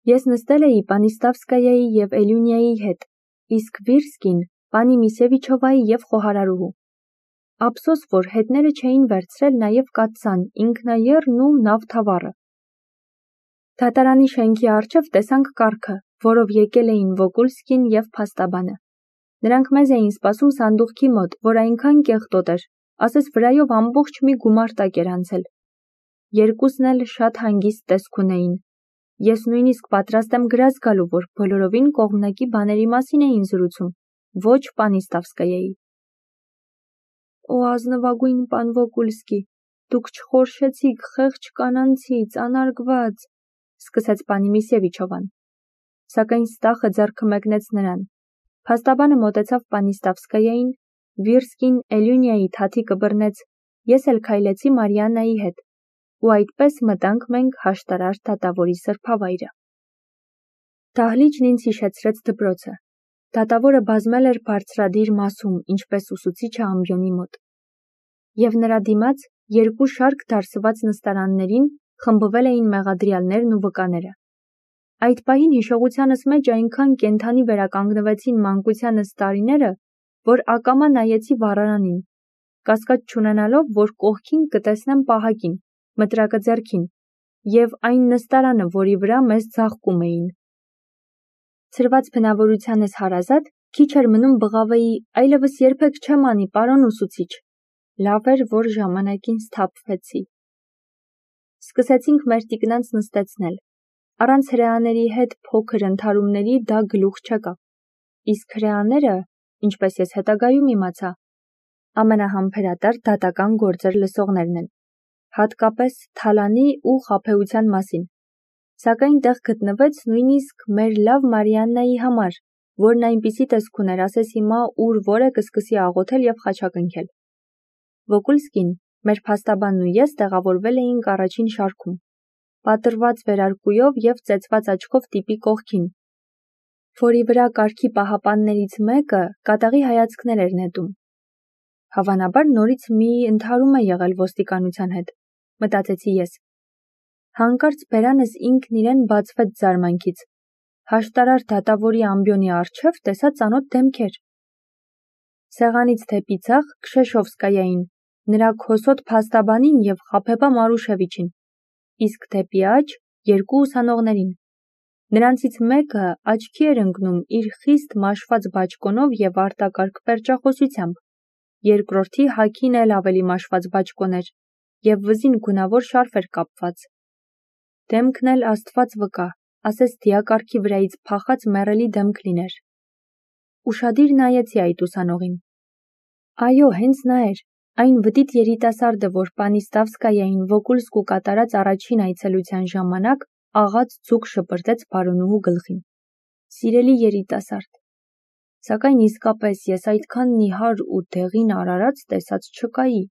Ես նստել էի Պանիստավսկայայի և Էլյունիայի հետ, իսկ Վիրսկին պանի Միսևիչովայի և խոհարարուհու։ Ափսոս, որ հետները չէին վերցրել նաև կաթսան, ինքնաեռն ու նավթավառը։ Դատարանի շենքի առջև տեսանք կառքը, որով եկել էին Վոկուլսկին և փաստաբանը։ Նրանք մեզ էին սպասում սանդուղքի մոտ, որ այնքան կեղտոտ էր, ասես վրայով ամբողջ մի գումարտակ էր անցել։ Երկուսն էլ շատ հանգիստ տեսք ունեին։ Ես նույնիսկ պատրաստ եմ գրած գալու, որ բոլորովին կողմնակի բաների մասին էին զրուցում, ոչ Պանիստավսկայայի։ Օ ազնվագույն պան Վոկուլսկի, դուք չխորշեցիք խեղճ կանանցից, անարգված, սկսեց պանի Միսևիչովան։ Սակայն ստախը ձեռքը մեկնեց նրան։ Փաստաբանը մոտեցավ Պանիստավսկայային, Վիրսկին Էլյունիայի թաթիկը բռնեց, ես էլ քայլեցի Մարիաննայի հետ, ու այդպես մտանք մենք հաշտարար դատավորի սրբավայրը։ Դահլիճն ինձ հիշեցրեց դպրոցը։ Դատավորը բազմել էր բարձրադիր մասում, ինչպես ուսուցիչը ամբիոնի մոտ։ Եվ նրա դիմաց երկու շարք դարսված նստարաններին խմբվել էին մեղադրյալներն ու վկաները։ Այդ պահին հիշողությանս մեջ այնքան կենդանի վերականգնվեցին մանկությանս տարիները, որ ակամա նայեցի վառարանին, կասկած չունենալով, որ կողքին կտեսնեմ պահակին, մտրակը ձեռքին, և այն նստարանը, որի վրա մեզ ձաղկում էին։ Ցրված բնավորությանս հարազատ, քիչ էր մնում բղավեի, այլևս երբեք չեմ անի, պարոն ուսուցիչ։ Լավ էր, որ ժամանակին սթափվեցի։ Սկսեցինք մեր տիկնանց նստեցնել։ Առանց հրեաների հետ փոքր ընդհարումների դա գլուխ չեկավ։ Իսկ հրեաները, ինչպես ես հետագայում իմացա, ամենահամբերատար դատական գործեր լսողներն են, հատկապես թալանի ու խաբեության մասին։ Սակայն տեղ գտնվեց նույնիսկ մեր լավ Մարիաննայի համար, որն այնպիսի տեսք ուներ, ասես հիմա ուր որ է կսկսի աղոթել և խաչակնքել։ Վոկուլսկին, մեր փաստաբանն ու ես տեղավորվել էինք առաջին շարքում, պատռված վերարկուով և ծեծված աչքով տիպի կողքին, որի վրա կարգի պահապաններից մեկը կատաղի հայացքներ էր նետում։ Հավանաբար նորից մի ընդհարում է եղել ոստիկանության հետ, մտածեցի ես։ Հանկարծ բերանս ինքն իրեն բացվեց զարմանքից։ Հաշտարար դատավորի ամբիոնի առջև տեսա ծանոթ դեմքեր։ Սեղանից դեպի ձախ Քշեշովսկայային, նրա քոսոտ փաստաբանին և Խաբեբա Մարուշևիչին, իսկ դեպի աջ երկու ուսանողներին։ Նրանցից մեկը աչքի էր ընկնում իր խիստ մաշված բաճկոնով և արտակարգ պերճախոսությամբ, երկրորդի հագին էլ ավելի մաշված բաճկոն էր և վզին գունավոր շարֆ էր կապված։ Դեմքն էլ Աստված վկա, ասես դիակարգի վրայից փախած մեռելի դեմք լիներ։ Ուշադիր նայեցի այդ ուսանողին։ Այո, հենց նա էր, այն վտիտ երիտասարդը, որ Պանիստավսկայային Վոկուլսկու կատարած առաջին այցելության ժամանակ աղաց ձուկ շպրտեց բարոնուհու գլխին։ Սիրելի երիտասարդ։ Սակայն իսկապես ես այդքան նիհար ու դեղին արարած տեսած չկայի։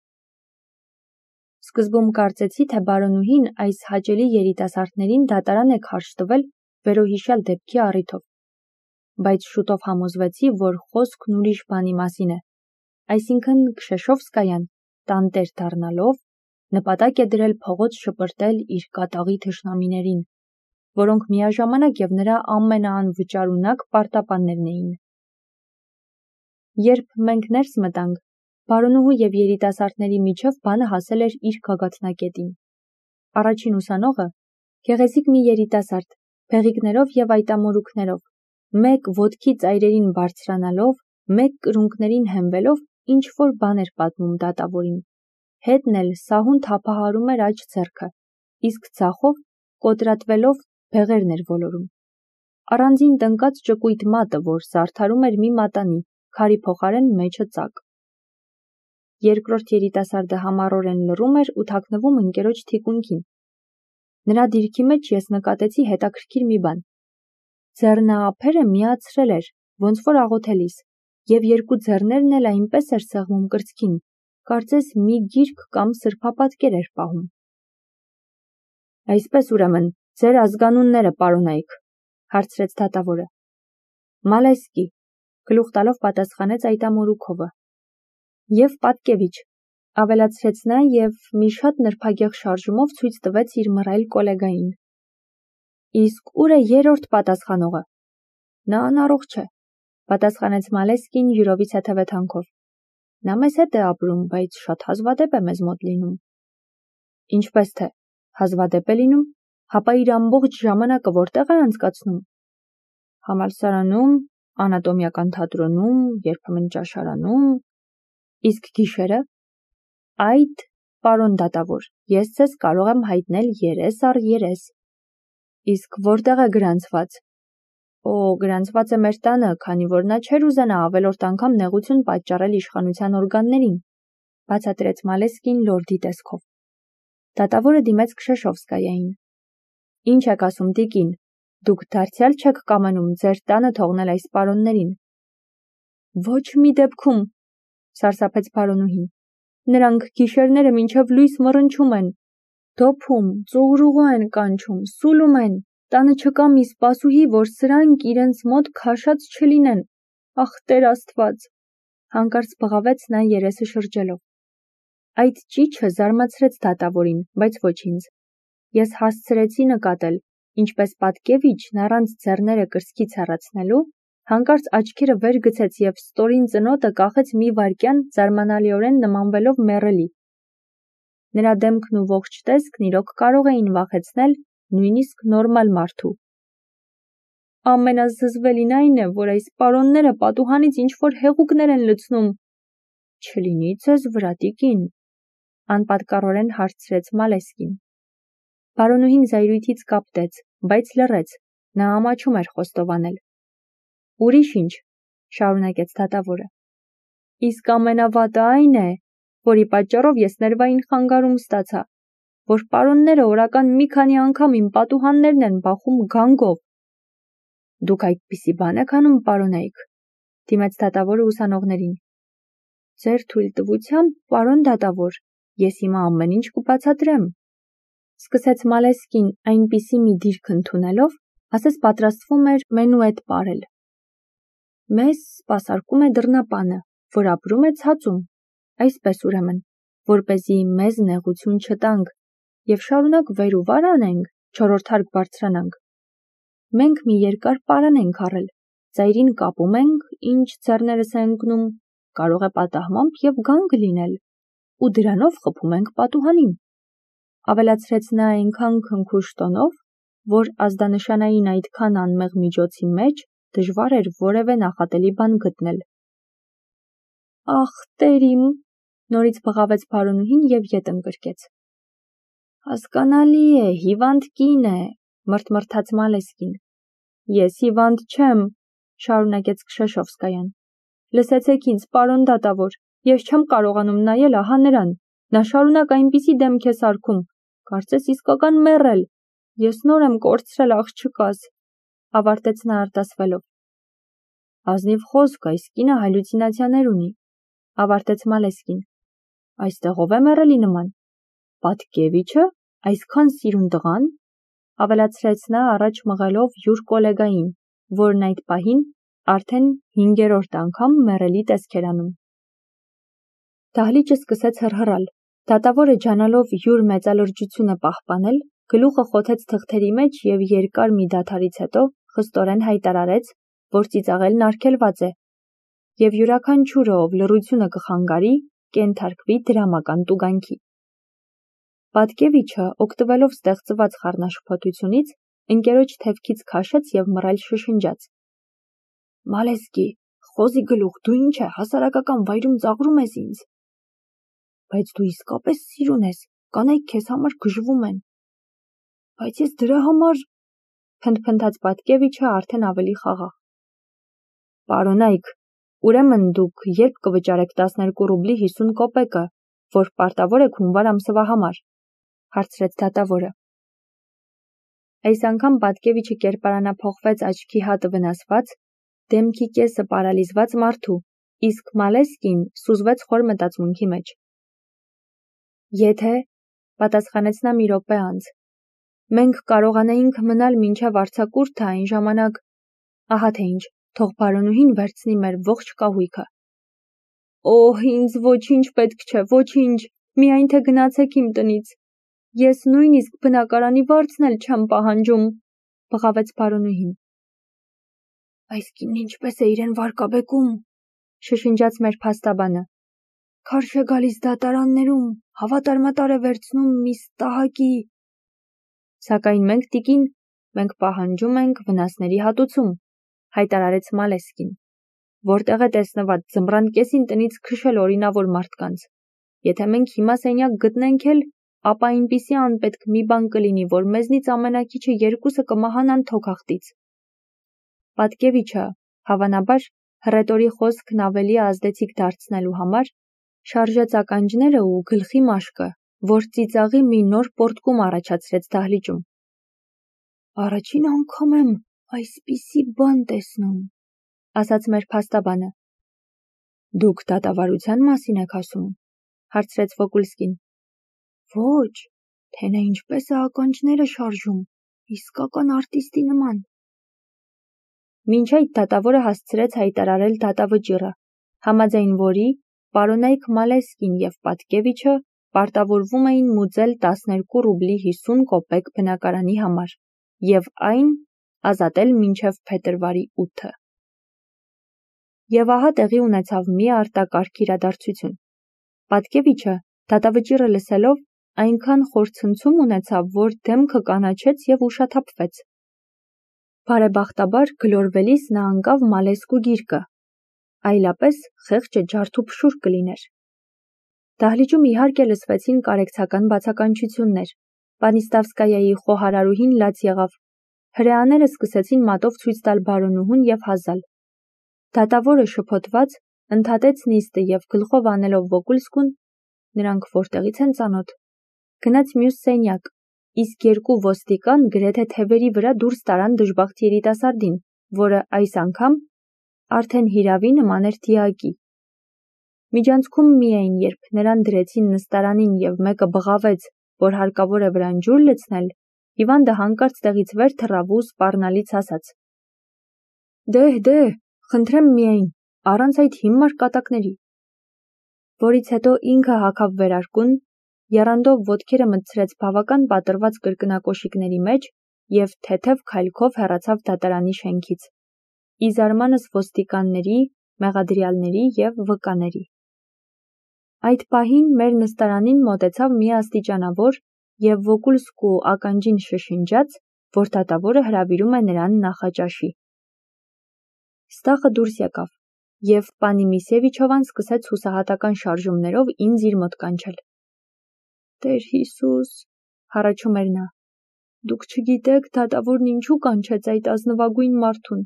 Սկզբում կարծեցի, թե բարոնուհին այս հաճելի երիտասարդներին դատարան է քարշ տվել վերոհիշյալ դեպքի առիթով, բայց շուտով համոզվեցի, որ խոսքն ուրիշ բանի մասին է, այսինքն Քշեշովսկայան, տանտեր դառնալով, նպատակ է դրել փողոց շպրտել իր կատաղի թշնամիներին, որոնք միաժամանակ և նրա ամենաանվճարունակ պարտապաններն էին։ Երբ մենք ներս մտանք, բարոնուհու և երիտասարդների միջև բանը հասել էր իր գագաթնակետին։ Առաջին ուսանողը, գեղեցիկ մի երիտասարդ, բեղիկներով և այտամորուքներով, մեկ ոտքի ծայրերին բարձրանալով, մեկ կրունկներին հենվելով, ինչ-որ բան էր պատմում դատավորին, հետն էլ սահուն թափահարում էր աջ ձեռքը, իսկ ձախով, կոտրատվելով, բեղերն էր ոլորում։ Առանձին տնկած ճկույտ մատը, որ զարդարում էր մի մատանի, քարի փոխարեն մեջը ծակ։ Երկրորդ երիտասարդը համառորեն լռում էր ու թաքնվում ընկերոջ թիկունքին։ Նրա դիրքի մեջ ես նկատեցի հետաքրքիր մի բան։ Ձեռնափերը միացրել էր, ոնց որ աղոթելիս, և երկու ձեռներն էլ այնպես էր սեղմում կրծքին, կարծես մի գիրք կամ սրբապատկեր էր պահում։ Այսպես ուրեմն, ձեր ազգանունները, պարոնայք, հարցրեց դատավորը։ Մալեսկի, գլուխ տալով պատասխանեց այտամորուքովը։ Եվ Պատկևիչ, ավելացրեց նա և մի շատ նրբագեղ շարժումով ցույց տվեց իր մռայլ կոլեգային։ Իսկ ուր է երրորդ պատասխանողը։ Նա անառողջ է, պատասխանեց Մալեսկին յուրովից հետևեթանքով։ Նա մեզ հետ է ապրում, բայց շատ հազվադեպ է մեզ մոտ լինում։ Ինչպես թե, հազվադեպ է լինում, հապա իր ամբողջ ժամանակը որտեղ է անցկացնում։ Համալսարանում, անատոմիական թատրոնում, երբեմն ճաշարանում։ Իսկ գիշերը։ Այդ, պարոն դատավոր, ես ձեզ կարող եմ հայտնել երես առ երես։ Իսկ որտեղ է գրանցված։ Գրանցված է մեր տանը, քանի որ նա չէր ուզենա ավելորդ անգամ նեղություն պատճառել իշխանության օրգաններին, բացատրեց Մալեսկին լորդի տեսքով։ Դատավորը դիմեց Քշեշովսկայային։ Ինչ եք ասում, տիկին, դուք դարձյալ չեք կամենում ձեր տանը թողնել այս պարոններին։ Ոչ մի դեպքում, սարսափեց պարոնուհին։ Նրանք գիշերները մինչև լույս մռնչում են, դոփում, ծուղրուղու են կանչում, սուլում են, տանը չկա մի սպասուհի, որ սրանք իրենց մոտ քաշած չլինեն, ախ Տեր Աստված, հանկարծ բղավեց նա երեսը շրջելով։ Այդ ճիչը զարմացրեց դատավորին, բայց ոչ ինձ։ Ես հասցրեցի նկատել, ինչպես Պատկևիչն առանց ձեռները կրծքից հեռացնելու, հանկարծ աչքերը վեր գցեց և ստորին ծնոտը կախեց մի վայրկյան զարմանալիորեն նմանվելով մեռելի։ Նրա դեմքն ու ողջ տեսքն իրոք կարող էին վախեցնել նույնիսկ նորմալ մարդու։ Ամենազզվելին այն է, որ այս պարոնները պատուհանից ինչ-որ հեղուկներ են լցնում։ Չլինի ձեզ վրա, տիկին, անպատկառորեն հարցրեց Մալեսկին։ Պարոնուհին զայրույթից կապտեց, բայց լռեց, նա ամաչում էր խոստովանել։ Ուրիշ ինչ, շարունակեց դատավորը։ Իսկ ամենավատը այն է, որի պատճառով ես ներվային խանգարում ստացա, որ պարոնները օրական մի քանի անգամ իմ պատուհաններն են բախում գանգով։ Դուք այդպիսի բան եք անում, պարոնայք, դիմեց դատավորը ուսանողներին։ Ձեր թույլտվությամբ, պարոն դատավոր, ես հիմա ամեն ինչ կբացատրեմ, սկսեց Մալեսկին այնպիսի մի դիրք ընդունելով, ասես պատրաստվում էր մենուետ պարել։ Մեզ սպասարկում է դռնապանը, որ ապրում է ցածում, այսպես ուրեմն, որպեսզի մեզ նեղություն չտանք և շարունակ վեր ու վար անենք, չորրորդ հարկ բարձրանանք։ Մենք մի երկար պարան ենք առել, ծայրին կապում ենք, ինչ ձեռներս է ընկնում, կարող է պատահմամբ և գանգ լինել, ու դրանով խփում ենք պատուհանին։ Ավելացրեց նա այնքան քնքուշ տոնով, որ ազդանշանային այդքան անմեղ միջոցի մեջ դժվար էր որևէ նախատելի բան գտնել։ Ախ, Տեր իմ, նորից բղավեց պարոնուհին և ետ ընկրկեց։ Հասկանալի է, հիվանդ կին է, մրթմրթաց Մալեսկին։ Ես հիվանդ չեմ, շարունակեց Քշեշովսկայան։ Լսեցեք ինձ, պարոն դատավոր, ես չեմ կարողանում նայել ահա նրան, նա շարունակ այնպիսի դեմք է սարքում, կարծես իսկական մեռել, ես նոր եմ կորցրել աղջկաս, ավարտեց նա արտասվելով։ Ազնիվ խոսք, այս կինը հալյուցինացիաներ ունի, ավարտեց Մալեսկին։ Այստեղով է մեռելի նման։ Պատկևիչը, այսքան սիրուն տղան, ավելացրեց նա առաջ մղելով յուր կոլեգային, որն այդ պահին արդեն 5-րդ անգամ մեռելի տեսք էր անում։ Դահլիճը սկսեց հռհռալ, դատավորը ջանալով յուր մեծալրջությունը պահպանել, գլուխը խոթեց թղթերի մեջ և երկար մի դադարից հետո խստորեն հայտարարեց, որ ծիծաղելն արգելված է, և յուրաքանչյուրը, ով լռությունը կխանգարի, կենթարկվի դրամական տուգանքի։ Պատկևիչը, օգտվելով ստեղծված խառնաշփոթությունից, ընկերոջ թևքից քաշեց և մռայլ շշնջաց. Մալեսկի, խոզի գլուխ, դու ինչ է, հասարակական վայրում ծաղրում ես ինձ։ Բայց դու իսկապես սիրուն ես, կանայք քեզ համար գժվում են։ Բայց ես դրա համար, փնթփնթաց Պատկևիչը արդեն ավելի խաղաղ։ Պարոնայք, ուրեմն դուք երբ կվճարեք 12 ռուբլի 50 կոպեկը, որ պարտավոր եք հունվար ամսվա համար, հարցրեց դատավորը։ Այս անգամ Պատկևիչը կերպարանափոխվեց աչքի հատը վնասված, դեմքի կեսը պարալիզված մարդու, իսկ Մալեսկին սուզվեց խոր մտածմունքի մեջ։ Եթե, պատասխանեց նա մի րոպե անց, մենք կարողանայինք մնալ մինչև արձակուրդը այն ժամանակ, ահա թե ինչ, թող պարոնուհին վերցնի մեր ողջ կահույքը։ Օհ, ինձ ոչինչ պետք չէ, ոչինչ, միայն թե գնացեք իմ տնից։ Ես նույնիսկ բնակարանի վարձն էլ չեմ պահանջում, բղավեց պարոնուհին։ Այս կինն ինչպես է իրեն վարկաբեկում, շշնջաց մեր փաստաբանը։ Քարշ է գալիս դատարաններում, հավատարմատար է վերցնում միս տահակի։ Սակայն մենք տիկին, մենք պահանջում ենք վնասների հատուցում, հայտարարեց Մալեսկին, որտեղ է տեսնված ձմռան կեսին տնից քշել օրինավոր մարդկանց։ Եթե մենք հիմա սենյակ գտնենք էլ, ապա այնպիսի անպետք մի բան կլինի, որ մեզնից ամենակիչը երկուսը կմահանան թոքախտից։ Պատկևիչը, հավանաբար, հռետորի խոսքն ավելի ազդեցիկ դարձնելու համար, շարժեց ականջները ու գլխի մաշկը, որ ծիծաղի մի նոր պոռթկում առաջացրեց դահլիճում։ Առաջին անգամ եմ այսպիսի բան տեսնում, ասաց մեր փաստաբանը։ Դուք դատավարության մասին եք ասում, հարցրեց Վոկուլսկին։ Ոչ, թե նա ինչպես է ականջները շարժում, իսկական արտիստի նման։ Մինչ այդ դատավորը հասցրեց հայտարարել դատավճիռը, համաձայն որի պարոնայք Մալեսկին եւ Պատկևիչը պարտավորվում էին մուծել 12 ռուբլի 50 կոպեկ բնակարանի համար եւ այն ազատել մինչև փետրվարի 8-ը։ Եվ ահա տեղի ունեցավ մի արտակարգ իրադարձություն։ Պատկևիչը դատավճիռը լսելով այնքան խորցնցում ունեցավ, որ դեմքը կանաչեց եւ ուշաթափվեց։ Բարեբախտաբար գլորվելիս նա անկավ Մալեսկու գիրկը, այլապես խեղճը ջարդուփշուր կլիներ։ Դահլիճում իհարկե լսվեցին կարեկցական բացականչություններ։ Պանիստավսկայայի խոհարարուհին լաց եղավ։ Հրեաները սկսեցին մատով ցույց տալ բարոնուհուն եւ հազալ։ Դատավորը շփոթված ընդհատեց նիստը եւ գլխով անելով Վոկուլսկուն, նրանք որտեղից են ծանոթ, գնաց մյուս սենյակ, իսկ երկու ոստիկան գրեթե թևերի վրա դուրս տարան դժբախտ երիտասարդին, որը այս անգամ արդեն հիրավի նման էր դիակի։ Միջանցքում միայն, երբ նրան դրեցին նստարանին եւ մեկը բղավեց, որ հարկավոր է վրան ջուր լցնել, հիվանդը հանկարծ տեղից վեր թռավ ու սպառնալից ասաց. Դե, խնդրեմ միայն, առանց այդ հիմար կատակների։ Որից հետո ինքը հագավ վերարկուն, եռանդով ոտքերը մտցրեց բավական պատրված կրկնակոշիկների մեջ եւ թեթև քայլքով հեռացավ դատարանի շենքից։ Ի զարմանս ոստիկանների, մեղադրյալների եւ վկաների։ Այդ պահին մեր նստարանին մոտեցավ մի աստիճանավոր եւ Վոկուլսկու ականջին շշնջաց, որ դատավորը հրավիրում է նրան նախաճաշի։ Ստախը դուրս եկավ, եւ պանի Միսևիչովան սկսեց հուսահատական շարժումներով ինձ իր մոտ կանչել։ Տեր Հիսուս, հառաչում էր նա, դուք չգիտեք դատավորն ինչու կանչեց այդ ազնվագույն մարդուն,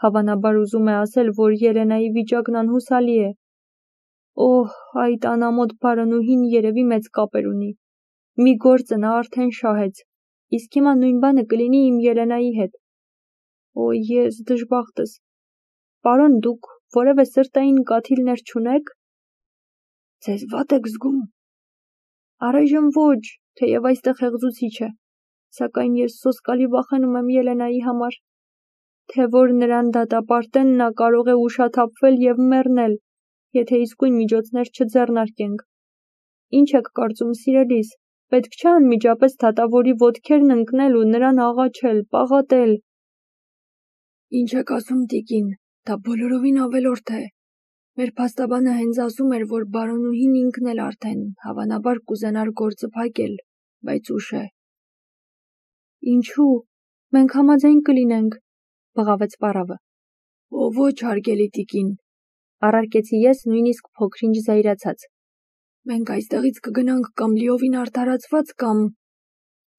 հավանաբար ուզում է ասել, որ Ելենայի վիճակն անհուսալի է։ Օհ, այդ անամոթ բարոնուհին երևի մեծ կապեր ունի, մի գործը նա արդեն շահեց, իսկ հիմա նույն բանը կլինի իմ Ելենայի հետ։ Օ, ես դժբախտս։ Պարոն, դուք որևէ սրտային կաթիլներ չունեք։ Ձեզ վատ եք զգում։ Առայժմ ոչ, թեև այստեղ հեղձուցիչ է, սակայն ես սոսկալի վախենում եմ Ելենայի համար, թե որ նրան դատապարտեն, նա կարող է ուշաթափվել եւ մեռնել, եթե իսկույն միջոցներ չձեռնարկենք։ Ինչ եք կարծում, սիրելիս, պետք չէ անմիջապես դատավորի ոտքերն ընկնել ու նրան աղաչել, պաղատել։ Ինչ եք ասում, տիկին, դա բոլորովին ավելորդ է։ Մեր փաստաբանը հենց ասում էր, որ բարոնուհին ինքն էլ արդեն հավանաբար կուզենար գործը փակել, բայց ուշ է։ Ինչու՞, մենք համաձայն կլինենք, բղավեց պարավը։ Օ, ոչ, հարգելի տիկին, առարկեցի ես նույնիսկ փոքրինչ զայրացած։ Մենք այստեղից կգնանք կամ լիովին արդարացված կամ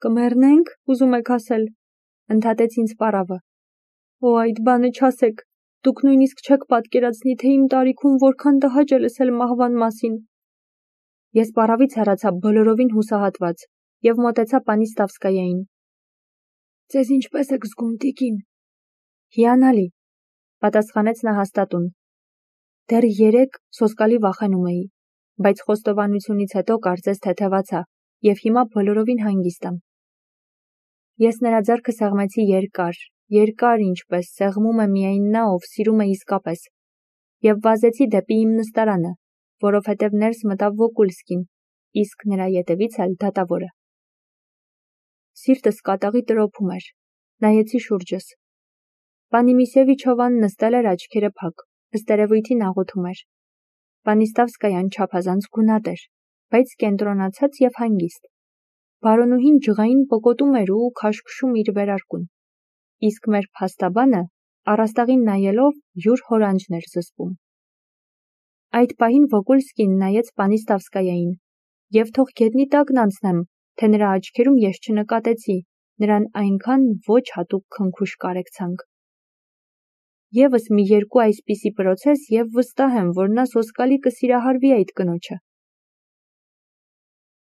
կմեռնենք, ուզում եք ասել, ընդհատեց ինձ պարավը։ Օ, այդ բանը չասեք, դուք նույնիսկ չեք պատկերացնի, թե իմ տարիքում որքան տհաճ է լսել մահվան մասին։ Ես պարավից հեռացա բոլորովին հուսահատված եւ մոտեցա Պանիստավսկայային։ Ձեզ ինչպես եք զգում, տիկին։ Հիանալի, պատասխանեց նա հաստատուն։ Դեռ 3 սոսկալի վախենում էի, բայց խոստովանությունից հետո կարծես թեթևացա եւ հիմա բոլորովին հանգիստ եմ։ Ես նրա ձեռքը սեղմեցի երկար ինչպես սեղմում է միայն նա, ով սիրում է իսկապես, եւ վազեցի դեպի իմ նստարանը, որովհետեւ ներս մտավ Վոկուլսկին, իսկ նրա ետևից էլ դատավորը։ Սիրտս կատաղի տրոփում էր, Նայեցի շուրջս։ Պանի Միսևիչովան նստել էր աչքերը փակ, ըստ երևույթին աղոթում էր։ Պանիստավսկայան չափազանց գունատ էր, բայց կենտրոնացած և հանգիստ։ Բարոնուհին ջղային պոկոտում էր ու քաշքշում իր վերարկուն, իսկ մեր փաստաբանը առաստաղին նայելով յուր հորանջն էր զսպում։ Այդ պահին Վոգոլսկին նայեց Պանիստավսկայային, և թող գետնի տակն անցնեմ, թե նրա աչքերում ես չնկատեցի նրան այնքան ոչ հատուկ քնքուշ կարեկցանք։ Եվս մի երկու այսպիսի պրոցես և վստահ եմ, որ նա սոսկալի կսիրահարվի այդ կնոջը։